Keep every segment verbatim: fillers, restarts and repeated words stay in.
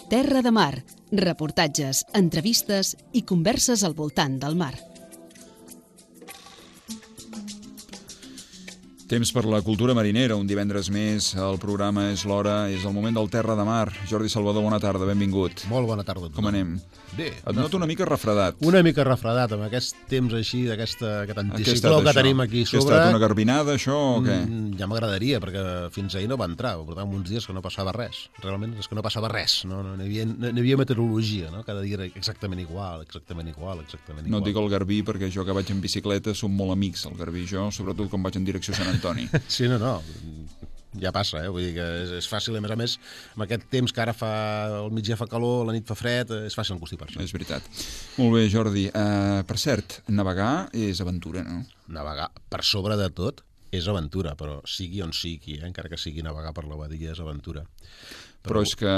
Terra de Mar, reportatges, entrevistes i converses al voltant del mar. Temps per la cultura marinera, un divendres més, el programa és l'hora, és el moment del Terra de Mar. Jordi Salvador, bona tarda, benvingut. Molt bona tarda a tothom. Com anem? Bé. Et noto una mica refredat. Una mica refredat, amb aquest temps així, d'aquest anticicló que això? tenim aquí Què sobre. ha estat, una garbinada, això, o què? Mm, ja m'agradaria, perquè fins ahir no va entrar. Portàvem uns dies que no passava res. Realment és que no passava res. No, no, n'hi havia, no, n'hi havia meteorologia, no? Cada dia era exactament igual, exactament igual, exactament igual. No et dic el Garbí, perquè jo que vaig en bicicleta som molt amics, el Garbí i jo, sobretot quan vaig en direcció a Sant Antoni. Sí, no, no, ja passa, eh? Vull dir que és, és fàcil, a més a més, amb aquest temps que ara fa, al migdia fa calor, la nit fa fred, és fàcil encostipar-se. És veritat. Molt bé, Jordi. Uh, per cert, navegar és aventura, no? Navegar, per sobre de tot, és aventura, però sigui on sigui, eh? Encara que sigui navegar per la badia, és aventura. Però... però és que,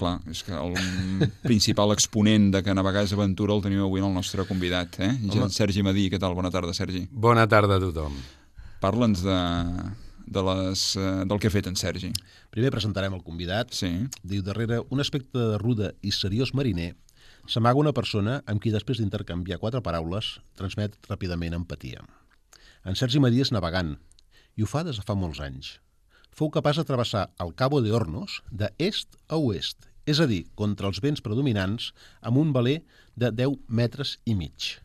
clar, és que el principal exponent de que navegar és aventura el tenim avui en el nostre convidat, eh? Home. Sergi Madí, què tal? Bona tarda, Sergi. Bona tarda a tothom. Parla'ns de... De les, uh, del que ha fet en Sergi. Primer presentarem el convidat. Sí. Diu, darrere un aspecte de ruda i seriós mariner s'amaga una persona amb qui després d'intercanviar quatre paraules transmet ràpidament empatia. En Sergi Madí és navegant i ho fa des de fa molts anys. Fou capaç de travessar el Cabo de Hornos d'est a oest, és a dir, contra els vents predominants amb un veler de deu metres i mig.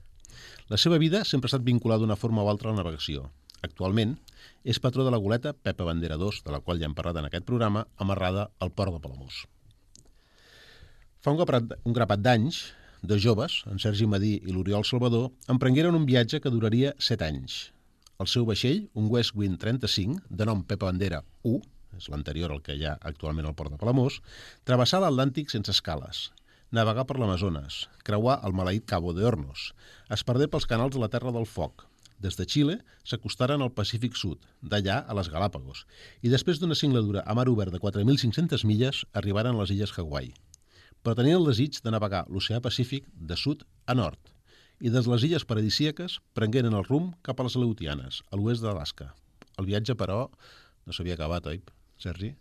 La seva vida sempre ha estat vinculada d'una forma o altra a la navegació. Actualment, és patró de la goleta Pepa Bandera dos, de la qual ja hem parlat en aquest programa, amarrada al port de Palamós. Fa un grapat, un grapat d'anys, dos joves, en Sergi Madí i l'Oriol Salvador, emprengueren un viatge que duraria set anys. El seu vaixell, un West Wind trenta-cinc, de nom Pepa Bandera u, és l'anterior al que hi ha actualment al port de Palamós, travessà l'Atlàntic sense escales, navegar per l'Amazones, creuar el maleït Cabo de Hornos, es perdé pels canals de la Terra del Foc. Des de Xile s'acostaren al Pacífic Sud, d'allà a les Galàpagos, i després d'una singladura a mar obert de quatre mil cinc-centes milles arribaren a les illes Hawaii. Però tenien el desig de navegar l'oceà Pacífic de sud a nord, i des de les illes paradisíaques prengueren el rumb cap a les Aleutianes, a l'oest d'Alaska. El viatge, però, no s'havia acabat, oi, Sergi?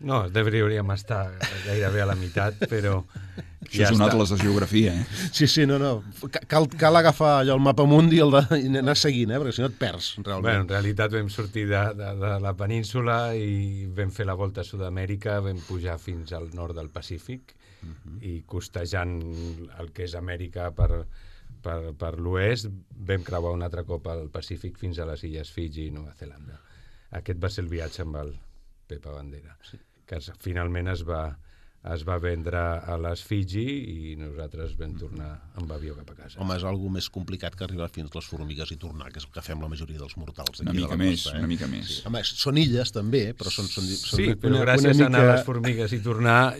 No, devríem estar gairebé a la meitat, però... Això ja és un està. atles de geografia, eh? Sí, sí, no, no. Cal, cal agafar allò, el mapa mundi i, el de, i anar seguint, eh? Perquè si no et perds, realment. Bueno, en realitat vam sortir de, de, de la península i vam fer la volta a Sud-amèrica, vam pujar fins al nord del Pacífic uh -huh. i costejant el que és Amèrica per, per, per l'oest, vam creuar un altre cop al Pacífic fins a les illes Fiji i Nova Zelanda. Aquest va ser el viatge amb el Pepa Bandera, sí. que es, finalment es va, es va vendre a les Fiji i nosaltres vam tornar amb avió cap a casa. Home, és algo més complicat que arribar fins les formigues i tornar, que és el que fem la majoria dels mortals. Una mica més, una mica més. Sí. Home, són illes també, però són... són, són sí, una, però gràcies una mica... a anar a les formigues i tornar,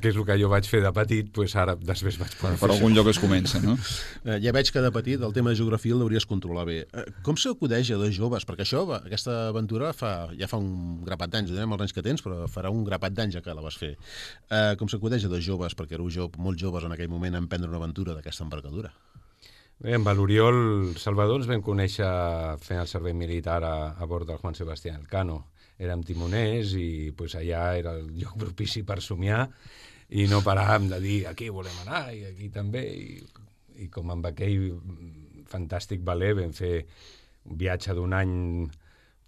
que és el que jo vaig fer de petit, doncs ara després vaig poder per fer algun això. lloc es comença, no? Eh, ja veig que de petit el tema de geografia el hauries controlar bé. Eh, com s'acudeix a dos joves? Perquè això, aquesta aventura fa, ja fa un grapat d'anys, direm els anys que tens, però farà un grapat d'anys ja que la vas fer. Eh, com s'acudeix a dos joves, perquè éreu jo, molt joves en aquell moment, a emprendre una aventura d'aquesta envergadura? Bé, amb l'Oriol Salvador ens vam conèixer fent el servei militar a, a bord del Juan Sebastián Elcano. Érem timoners i pues, allà era el lloc propici per somiar i no paràvem de dir aquí volem anar i aquí també. I, i com amb aquell fantàstic valer vam fer un viatge d'un any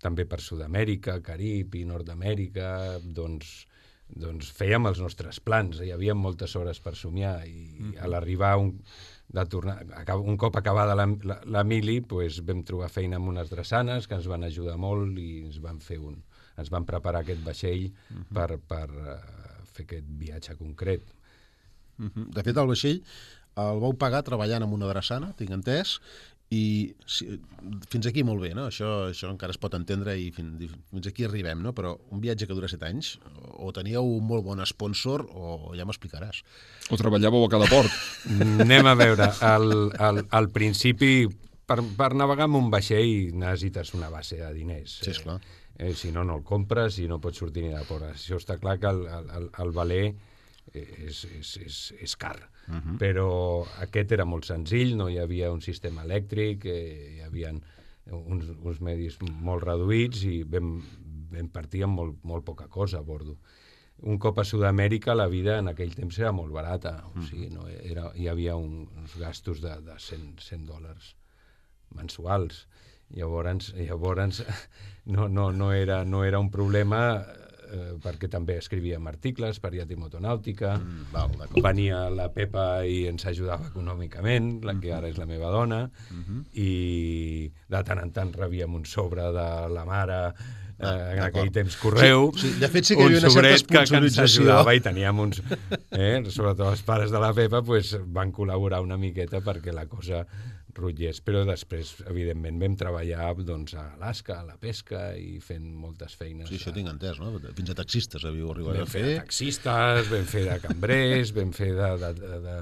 també per Sud-amèrica, Carib i Nord-amèrica, doncs doncs fèiem els nostres plans, hi havia moltes hores per somiar i mm-hmm. a l'arribar un, de tornar, un cop acabada la, la, la mili pues, vam trobar feina amb unes drassanes que ens van ajudar molt i ens van fer un, ens van preparar aquest vaixell mm-hmm. per, per uh, fer aquest viatge concret. Mm-hmm. De fet, el vaixell el vau pagar treballant amb una drassana, tinc entès, i si, fins aquí molt bé, no? Això, això encara es pot entendre i fins, fins aquí arribem, no? Però un viatge que dura set anys, o teníeu un molt bon sponsor o ja m'explicaràs. O treballàveu a cada port. Anem a veure, al, al, al principi, per, per navegar amb un vaixell necessites una base de diners. Sí, esclar. Eh, eh, si no, no el compres i no pots sortir ni de port. Això està clar que el, el, el valer és, és, és, és car. Uh-huh. Però aquest era molt senzill, no hi havia un sistema elèctric, eh, hi havia uns, uns medis molt reduïts i vam, vam partir amb molt, molt poca cosa a bordo. un cop a Sud-amèrica la vida en aquell temps era molt barata, o sigui, no, era, hi havia un, uns gastos de, de cent, cent dòlars mensuals. Llavors, llavors no, no, no, era, no era un problema, eh, perquè també escrivíem articles per Yati Motonàutica, Mm, val, venia la Pepa i ens ajudava econòmicament, la que ara és la meva dona, Mhm. i de tant en tant rebíem un sobre de la mare, eh, en d'acord. aquell temps correu, Sí, sí, de fet sí que hi un havia una certa sobret que, que ens sponsorització. ajudava i teníem uns... Eh, sobretot els pares de la Pepa pues, van col·laborar una miqueta perquè la cosa rotllés, però després, evidentment, vam treballar doncs, a Alaska, a la pesca i fent moltes feines. Sí, això tinc entès, no? Fins a taxistes havíeu arribat Vam a fer fer. de taxistes, vam fer de cambrers, vam fer de, de, de, de,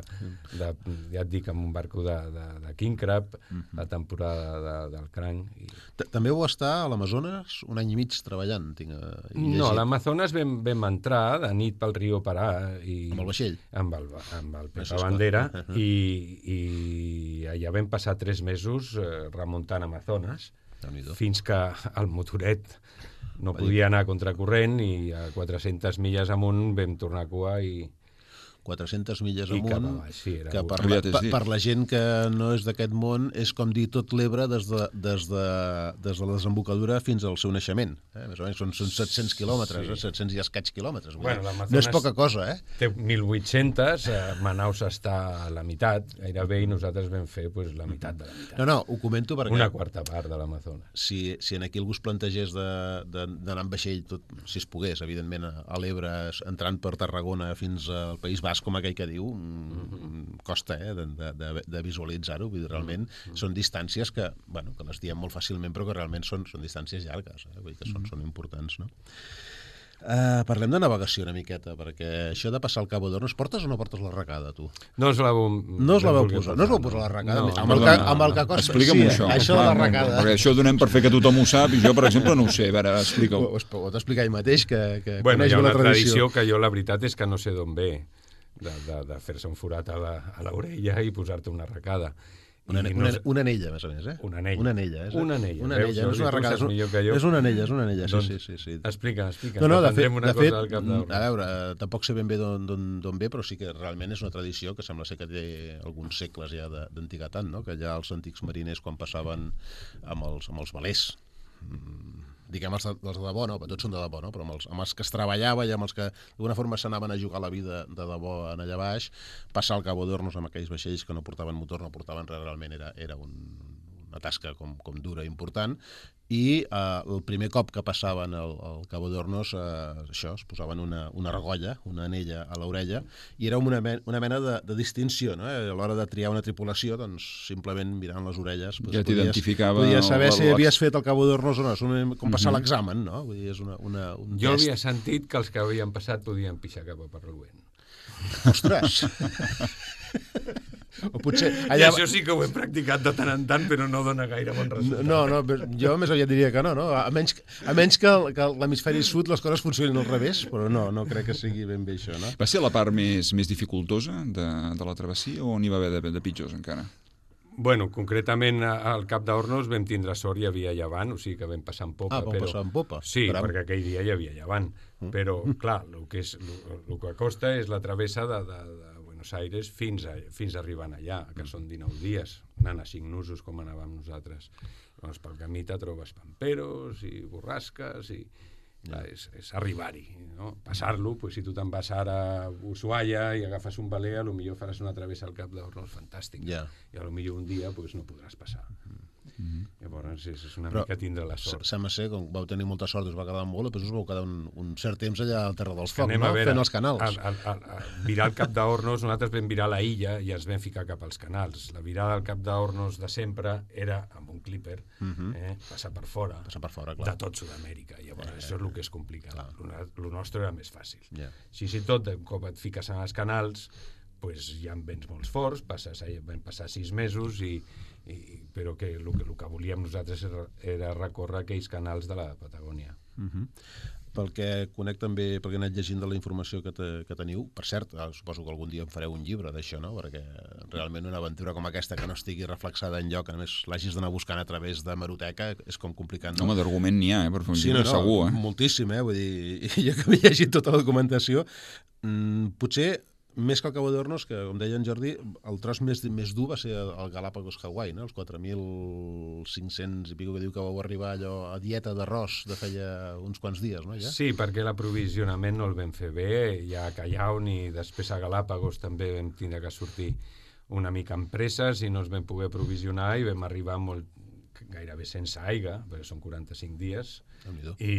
de, ja et dic, amb un barco de, de, de King Crab, la temporada de, del cranc. I... T- També vau estar a l'Amazones un any i mig treballant, tinc eh, llegit. No, a l'Amazones vam, vam entrar de nit pel riu Parà. I, Amb el vaixell? Amb el, amb el Això és Pepa clar. Bandera, Uh-huh. i, i allà vam passar tres mesos eh, remuntant Amazones, Déu-n'hi-do. fins que el motoret no podia anar a contracorrent i a quatre-centes milles amunt vam tornar a cua i... quatre-centes milles I cap amunt, avall, sí, era que un- per la, Aviat és per, dit. per la gent que no és d'aquest món és com dir tot l'Ebre des, de, des, de, des de la desembocadura fins al seu naixement. Eh? Més o menys són, són set-cents quilòmetres, Sí. eh? set-cents i escaig quilòmetres. Vull Bueno, dir, l'Amazones- no és poca cosa, eh? Té mil vuit-cents, eh, Manaus està a la meitat, gairebé, i nosaltres vam fer pues, la meitat de la meitat. No, no, ho comento perquè... Una quarta part de l'Amazones. si, si en aquí algú es plantegés de- de- d'anar amb vaixell, tot, si es pogués, evidentment, a, a l'Ebre, entrant per Tarragona fins al País Basc, com aquell que diu, mm, costa eh, de, de, de, de visualitzar-ho, vull dir, realment són distàncies que, bueno, que les diem molt fàcilment, però que realment són, són distàncies llargues, eh? Vull dir que són, són importants, no? Uh, parlem de navegació una miqueta, perquè això de passar al Cabo d'Hornos, portes o no portes la recada, tu? No us la vau... No us la vau posar, no us vau posar la recada? No, amb, el Perdona, que, amb el que costa... explica'm sí, això. això de la Clar, no, recada. Perquè això ho donem per fer que tothom ho sap i jo, per exemple, no ho sé. A veure, explica-ho. Ho, ho pot explicar ell mateix, que, que Bueno, coneix hi ha bé la una tradició. tradició que jo la veritat és que no sé d'on ve, de, de, de fer-se un forat a la- a l'orella i posar-te una arracada. Una, I una, no sé- una anella, més a més, eh? Una anella. Una anella, és, Una anella. Una Veus, anella, no és Jordi, una tu recada. saps És, millor que jo. és una anella, és una anella, sí, Doncs, sí, sí. sí. Explica, explica. No, no, de fet, Aprendrem una de fet cosa al cap d'Hornos. a veure, eh, tampoc sé ben bé d'on- d'on d'on ve, però sí que realment és una tradició que sembla ser que té alguns segles ja de- d'antiguitat, no? Que ja els antics mariners, quan passaven amb els, amb els velers, mm, diguem els de, els de debò, no? Tots són de debò, no? Però amb els, amb els que es treballava i amb els que d'alguna forma s'anaven a jugar la vida de debò en allà baix, passar al Cabo d'Hornos amb aquells vaixells que no portaven motor, no portaven res, realment era, era un, una tasca com, com dura i important, i eh, el primer cop que passaven al, al Cabo d'Hornos, eh, això, es posaven una, una argolla, una anella a l'orella, i era una, men una mena de, de distinció, no? A l'hora de triar una tripulació, doncs, simplement mirant les orelles... Doncs, Ja t'identificava Podies saber el- si havies fet el Cabo d'Hornos o no, és una, com passar Mhm. l'examen, no? Vull dir, és una, una, un Jo test. havia sentit que els que havien passat podien pixar cap a Parruent. Ostres! O potser... Allà... I això sí que ho he practicat de tant en tant, però no dona gaire bon resultat. No, no, jo més aviat diria que no, no? A menys, a menys que, el- que l'hemisferi sud les coses funcionin al revés, però no, no crec que sigui ben bé això, no? Va ser la part més, més dificultosa de, de la travessia o n'hi va haver de, de pitjors encara? Bueno, concretament al Cap d'Hornos vam tindre sort, hi havia llevant, o sigui que vam passar en popa. Ah, vam però... passar en popa. Sí, Caram. perquè aquell dia hi havia llevant. Però, clar, el que, és, el que costa és la travessa de, de, de Buenos Aires fins a, fins a arribant allà, que són dinou dies, anant a cinc nusos com anàvem nosaltres. Llavors, pel camí te trobes pamperos i borrasques i... Clar, és, és arribar-hi, no? Passar-lo, pues, si tu te'n vas ara a Ushuaia i agafes un veler, potser faràs una travessa al Cap d'Hornos fantàstica. Ja. I potser un dia pues, no podràs passar. Mm-hmm. Llavors és, és una Però mica tindre la sort. Sembla ser, com vau tenir molta sort, us va quedar molt, després us vau quedar un, un cert temps allà al Terra dels Focs, Anem no? a veure, Fent els canals. A, a, a, a virar el Cap d'Hornos, nosaltres vam virar la illa i ens vam ficar cap als canals. La virada del Cap d'Hornos de sempre era amb un clipper, eh, passar per fora, Passar per fora, clar. de tot Sud-amèrica. Llavors, eh, això és el que és complicat. El nostre era més fàcil. Ja. Si si tot, un cop et fiques en els canals, pues, hi ha vents molt forts, passes, vam passar sis mesos, i, i, però que el, que el que volíem nosaltres era, era recórrer aquells canals de la Patagònia. Uh -huh. pel que conec també, perquè he anat llegint de la informació que, te, que teniu, per cert, suposo que algun dia en fareu un llibre d'això, no? Perquè realment una aventura com aquesta que no estigui reflexada en lloc, a més l'hagis d'anar buscant a través de Hemeroteca, és com complicat. No? Home, d'argument n'hi ha, eh? Per fer un sí, llibre no, no, segur, eh? Moltíssim, eh? Vull dir, jo que m'he llegit tota la documentació, mmm, potser més que el Cabo de Hornos, que, com deia en Jordi, el tros més, més dur va ser el Galápagos Hawaii, no? Els quatre mil cinc-cents i pico que diu que vau arribar allò a dieta d'arròs de feia uns quants dies, no? Ja? Sí, perquè l'aprovisionament no el vam fer bé, ja a Callao ni després a Galápagos també vam tindre que sortir una mica amb presses i no ens vam poder aprovisionar i vam arribar molt, gairebé sense aigua, perquè són quaranta-cinc dies, i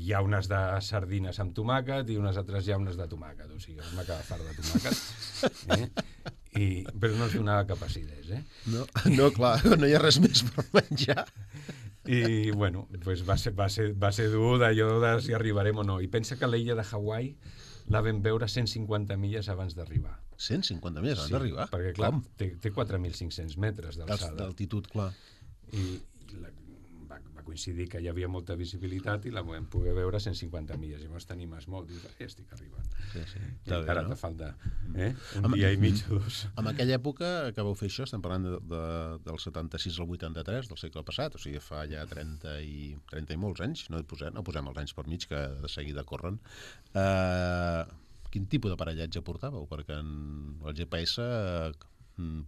hi ha unes de sardines amb tomàquet i unes altres llaunes de tomàquet, o sigui, vam acabar fart de tomàquet, eh? I, però no ens donava cap acidesa, eh? No, no, clar, no hi ha res més per menjar. I, bueno, pues va, ser, va, ser, va ser dur d'allò de si arribarem o no. I pensa que l'illa de Hawaii la vam veure cent cinquanta milles abans d'arribar. cent cinquanta milles abans sí, d'arribar? Perquè, clar, té, té quatre mil cinc-cents metres d'alçada. D'altitud, clar. I la, va, va coincidir que hi havia molta visibilitat i la vam poder veure a cent cinquanta milles. Llavors t'animes molt, dius, ja estic arribant. Sí, sí. I encara no? te falta eh? un amb, dia i mig o dos. En aquella època que vau fer això, estem parlant de, de, del setanta-sis al vuitanta-tres del segle passat, o sigui, fa ja trenta i, trenta i molts anys, no posem, no posem els anys per mig, que de seguida corren. Uh, quin tipus d'aparellatge portàveu? Perquè en el G P S uh,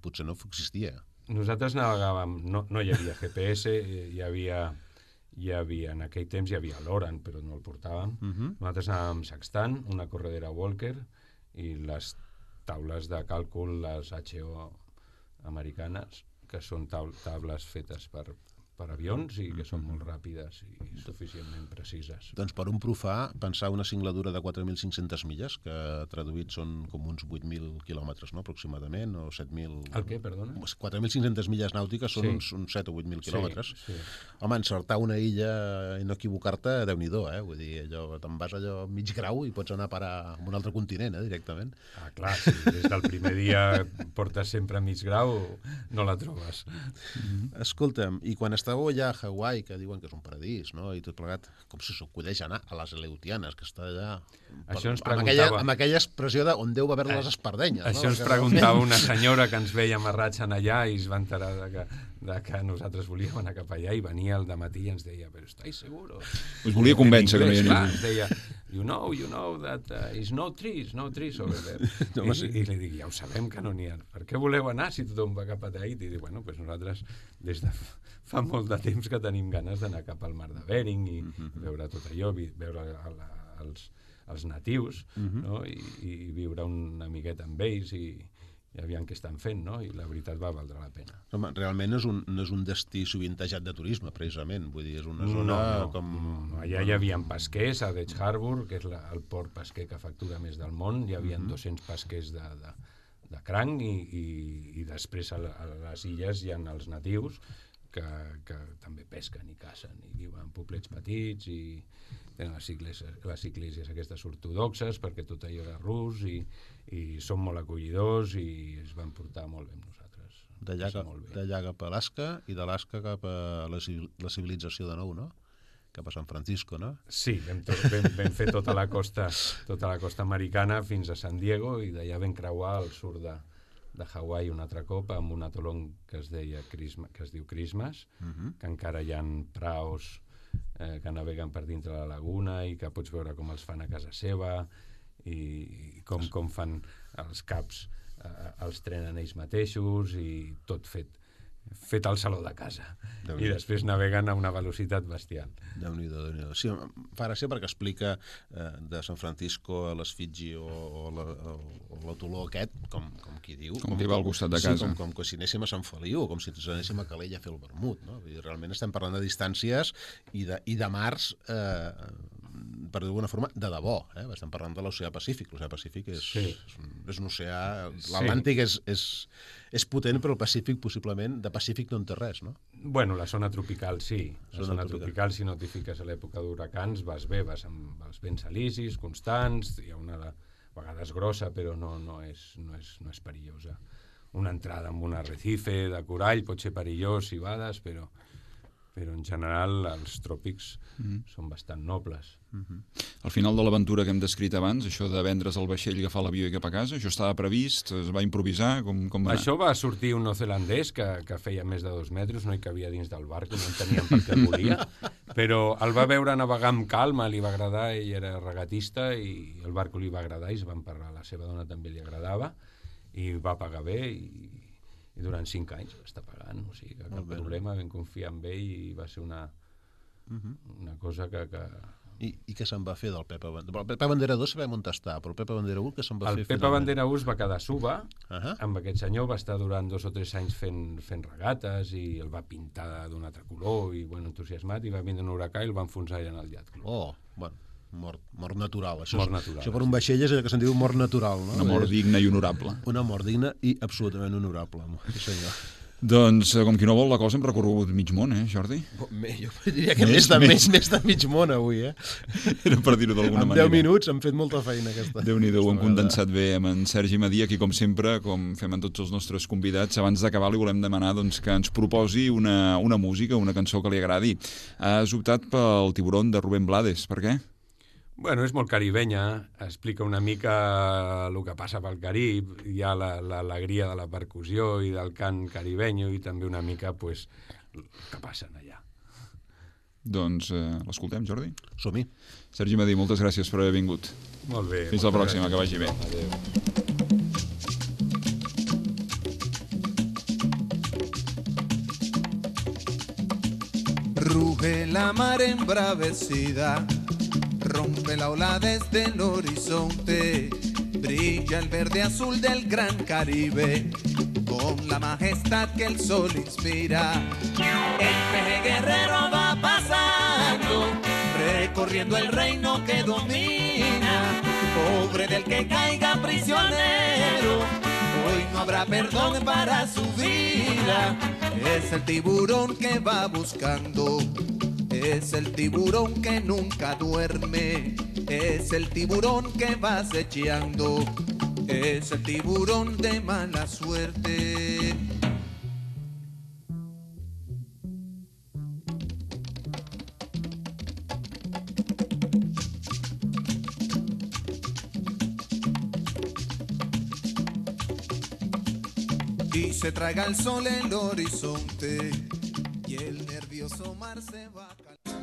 potser no existia. Nosaltres navegàvem, no, no hi havia G P S, hi havia, hi havia, en aquell temps hi havia l'Oran, però no el portàvem. Uh-huh. Nosaltres anàvem sextant, una corredera Walker, i les taules de càlcul, les H O americanes, que són taules fetes per, per avions i que són molt ràpides i suficientment precises. Doncs per un profà, pensar una singladura de quatre mil cinc-centes milles, que traduït són com uns vuit mil quilòmetres, no?, aproximadament, o set mil... El què, perdona? quatre mil cinc-centes milles nàutiques són sí. uns, uns set o vuit mil quilòmetres. Sí, sí. Home, encertar una illa i no equivocar-te, Déu-n'hi-do, eh? Vull dir, allò, te'n vas allò mig grau i pots anar a parar a un altre continent, eh, directament. Ah, clar, si sí, des del primer dia portes sempre a mig grau, no la trobes. Mm-hmm. Escolta'm, i quan estàveu allà a Hawaii, que diuen que és un paradís, no?, i tot plegat, com si s'acudeix anar a les Aleutianes, que està allà... Això ens preguntava... Amb aquella, amb aquella expressió de on deu haver les espardenyes. Això no? ens preguntava una senyora que ens veia amarrats en allà i es va enterar de que, de que nosaltres volíem anar cap allà i venia al dematí i ens deia, però estáis seguros? Us volia convèncer que no hi havia ningú. Ens deia, you know, you know that uh, is no trees, no trees over there. No, I, sí. I li dic, ja ho sabem que no n'hi ha. Per què voleu anar si tothom va cap a Tahiti? I dic, bueno, pues nosaltres des de fa molt de temps que tenim ganes d'anar cap al mar de Bering i mm-hmm. veure tot allò, veure a la, els, els natius, mm-hmm. no? I, i viure una miqueta amb ells i, i aviam què estan fent, no? I la veritat va valdre la pena. Home, realment és un, no és un destí sovintejat de turisme, precisament. Vull dir, és una zona no, no, com... No, no. Allà hi havia pesquers, a Dutch Harbour, que és la, el port pesquer que factura més del món, hi havia mm-hmm. dos-cents pesquers de, de, de cranc i, i, i després a, a les illes hi ha els natius, Que, que també pesquen i cacen i viuen en poblets petits i tenen les iglésies, les iglésies aquestes ortodoxes perquè tot allò era rus i, i són molt acollidors i es van portar molt bé amb nosaltres. D'allà cap, d'allà cap a Alaska i d'Alaska cap a la, la civilització de nou, no? Cap a San Francisco, no? Sí, vam, to, vam, vam fer tota la costa tota la costa americana fins a San Diego i d'allà vam creuar al sud de de Hawaii un altre cop amb un atolón que es deia Christmas, que es diu Christmas, uh-huh. que encara hi ha praos eh, que naveguen per dintre la laguna i que pots veure com els fan a casa seva i, i com, com fan els caps, eh, els trenen ells mateixos i tot fet fet al saló de casa i després naveguen a una velocitat bestial. Déu-n'hi-do, Déu-n'hi-do. Sí, fa gràcia perquè explica eh, de San Francisco a les Fiji o, o, la, o l'atoló aquest, com, com qui diu... Com que va al costat de casa. Sí, com, com, com si anéssim a Sant Feliu, com si anéssim a Calella a fer el vermut, no? I realment estem parlant de distàncies i de, i de mars, eh, per d'alguna forma, de debò. Eh? Estem parlant de l'oceà Pacífic. L'oceà Pacífic és, sí. és, un, és un oceà... L'Atlàntic sí. és, és, és potent, però el Pacífic, possiblement, de Pacífic no en té res, no? Bueno, la zona tropical sí. La zona, zona tropical. tropical, si no t'hi fiques a l'època d'huracans, vas bé, vas amb els vents alicis, constants, hi ha una a vegades grossa, però no, no, és, no, és, no és perillosa. Una entrada amb un arrecife de corall pot ser perillós si vades, però, però en general els tròpics mm. són bastant nobles. Mm-hmm. Al final de l'aventura que hem descrit abans, això de vendre's el vaixell, agafar l'avió i cap a casa, això estava previst? Es va improvisar? Com, com va anar? Això va sortir un neozelandès que, que feia més de dos metres, no hi cabia dins del barco, no enteníem per què volia, però el va veure navegar amb calma, li va agradar, ell era regatista i el barco li va agradar i es van parlar, la seva dona també li agradava i va pagar bé i i durant cinc anys va estar pagant, o sigui que cap bé, problema, vam confiar en ell i va ser una, uh-huh. una cosa que... que... I, I què se'n va fer del Pepe Bandera? El Pepe Bandera dos sabem on està, però el Pepe Bandera u què se'n va el fer? El Pepe finalment? Bandera u es va quedar a Suba, uh-huh. amb aquest senyor, va estar durant dos o tres anys fent, fent regates i el va pintar d'un altre color i bueno, entusiasmat, i va vindre un huracà i el va enfonsar allà en el Yacht Club. Oh, bueno. Mort, mort natural. Això, mort és, natural, això per un vaixell és el que se'n diu mort natural. No? Una mort digna i honorable. Una mort digna i absolutament honorable. Sí, senyor. Doncs, com qui no vol la cosa, hem recorregut mig món, eh, Jordi? Jo diria que més, més, de, més, més de mig món avui, eh? Era per dir-ho d'alguna manera. En deu minuts hem fet molta feina aquesta. Déu-n'hi-do, ho hem condensat bé amb en Sergi Madia, qui com sempre, com fem amb tots els nostres convidats, abans d'acabar li volem demanar doncs, que ens proposi una, una música, una cançó que li agradi. Has optat pel Tiburón de Rubén Blades, per què? Bueno, és molt caribenya, explica una mica el que passa pel Carib, hi ha l'alegria de la percussió i del cant caribenyo i també una mica pues, el que passa allà. Doncs eh, l'escoltem, Jordi? Som-hi. Sergi Madí, moltes gràcies per haver vingut. Molt bé. Fins la pròxima, gràcies. Que vagi bé. Adéu. Ruge la mar embravecida, rompe la ola desde el horizonte, brilla el verde azul del gran Caribe, con la majestad que el sol inspira. El peje guerrero va pasando, recorriendo el reino que domina, pobre del que caiga prisionero, hoy no habrá perdón para su vida. Es el tiburón que va buscando, es el tiburón que nunca duerme, es el tiburón que va acechando, es el tiburón de mala suerte. Y se traga el sol el horizonte y el nervioso mar se va a calar.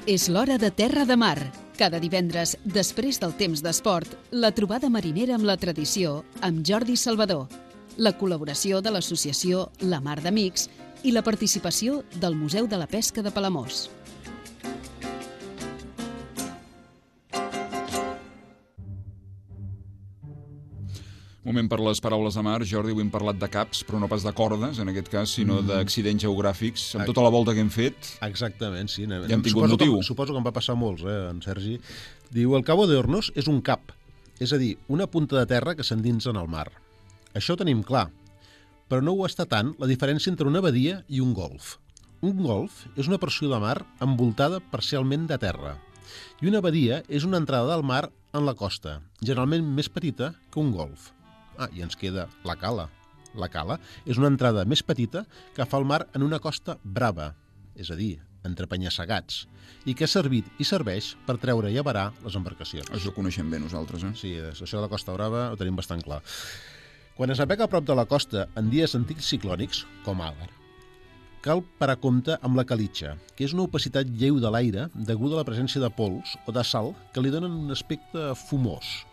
És l'hora de Terra de Mar. Cada divendres, després del temps d'esport, la trobada marinera amb la tradició amb Jordi Salvador, la col·laboració de l'associació La Mar d'Amics i la participació del Museu de la Pesca de Palamós. Moment per les paraules de mar. Jordi, avui hem parlat de caps, però no pas de cordes, en aquest cas, sinó mm. d'accidents geogràfics. Amb tota la volta que hem fet... Exactament, sí. Ja hem tingut suposo motiu. Que, suposo que en va passar molts, eh, en Sergi. Diu, el Cabo de Hornos és un cap, és a dir, una punta de terra que s'endinsa en el mar. Això ho tenim clar, però no ho està tant la diferència entre una badia i un golf. Un golf és una porció de mar envoltada parcialment de terra, i una badia és una entrada del mar en la costa, generalment més petita que un golf. Ah, i ens queda la cala. La cala és una entrada més petita que fa el mar en una costa brava, és a dir, entre penya-segats, i que ha servit i serveix per treure i avarar les embarcacions. Això ho coneixem bé nosaltres, eh? Sí, això de la Costa Brava ho tenim bastant clar. Quan es navega a prop de la costa en dies antics ciclònics, com ara, cal parar compte amb la calitxa, que és una opacitat lleu de l'aire deguda a la presència de pols o de sal que li donen un aspecte fumós.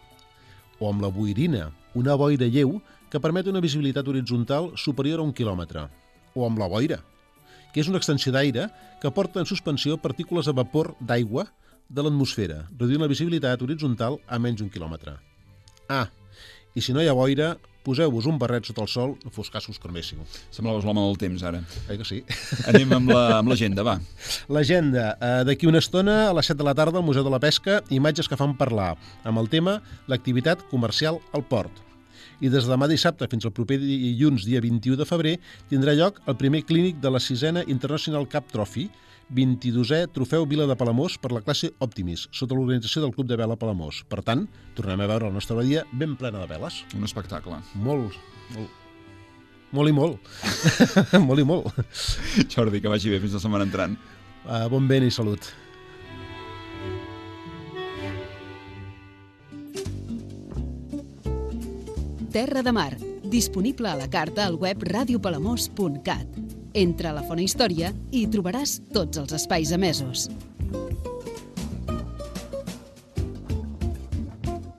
O amb la boirina, una boira lleu que permet una visibilitat horitzontal superior a un quilòmetre. O amb la boira, que és una extensió d'aire que porta en suspensió partícules de vapor d'aigua de l'atmosfera, reduint la visibilitat horitzontal a menys d'un quilòmetre. Ah, i si no hi ha boira, poseu-vos un barret sota el sol, no fos cas que us creméssiu. Semblaves l'home del temps, ara. Eh que sí? Anem amb l'agenda, la, va. L'agenda. Eh, D'aquí una estona, a les set de la tarda, al Museu de la Pesca, imatges que fan parlar, amb el tema l'activitat comercial al port. I des de demà dissabte fins al proper dilluns, dia vint-i-u de febrer, tindrà lloc el primer clínic de la sisena International Cup Trophy, vint-i-dosè Trofeu Vila de Palamós per la classe Optimis, sota l'organització del Club de Vela Palamós. Per tant, tornem a veure la nostra badia ben plena de veles. Un espectacle. Molt, molt, Molt i molt. Molt i molt. Jordi, que vagi bé fins la setmana entrant. Uh, bon vent i salut. Terra de Mar, disponible a la carta al web radio palamós punt cat. Entra a la Fona Història i hi trobaràs tots els espais emesos.